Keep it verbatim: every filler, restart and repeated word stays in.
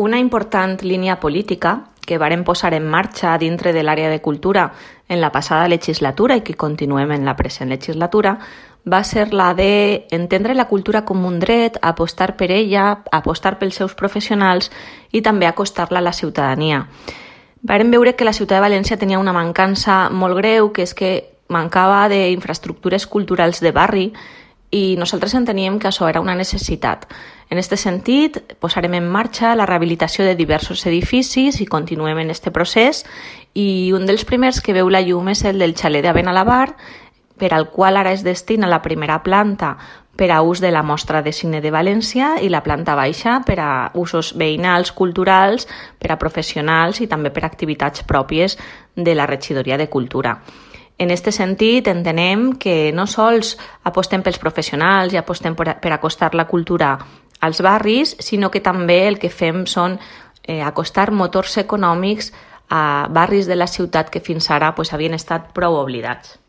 Una important línia política que varen posar en marxa dintre de l'àrea de cultura en la passada legislatura i que continuem en la present legislatura va ser la d'entendre la cultura com un dret, apostar per ella, apostar pels seus professionals i també acostar-la a la ciutadania. Varen veure que la ciutat de València tenia una mancança molt greu, que és que mancava d'infraestructures culturals de barri i nosaltres enteníem que això era una necessitat. En aquest sentit, posarem en marxa la rehabilitació de diversos edificis i continuem en aquest procés i un dels primers que veu la llum és el del xalet de Benalabar, per al qual ara es destina la primera planta per a ús de la Mostra de Cine de València i la planta baixa per a usos veïnals, culturals, per a professionals i també per a activitats pròpies de la Regidoria de Cultura. En aquest sentit, entenem que no sols apostem pels professionals i apostem per, per acostar la cultura als barris, sinó que també el que fem són eh, acostar motors econòmics a barris de la ciutat que fins ara pues, havien estat prou oblidats.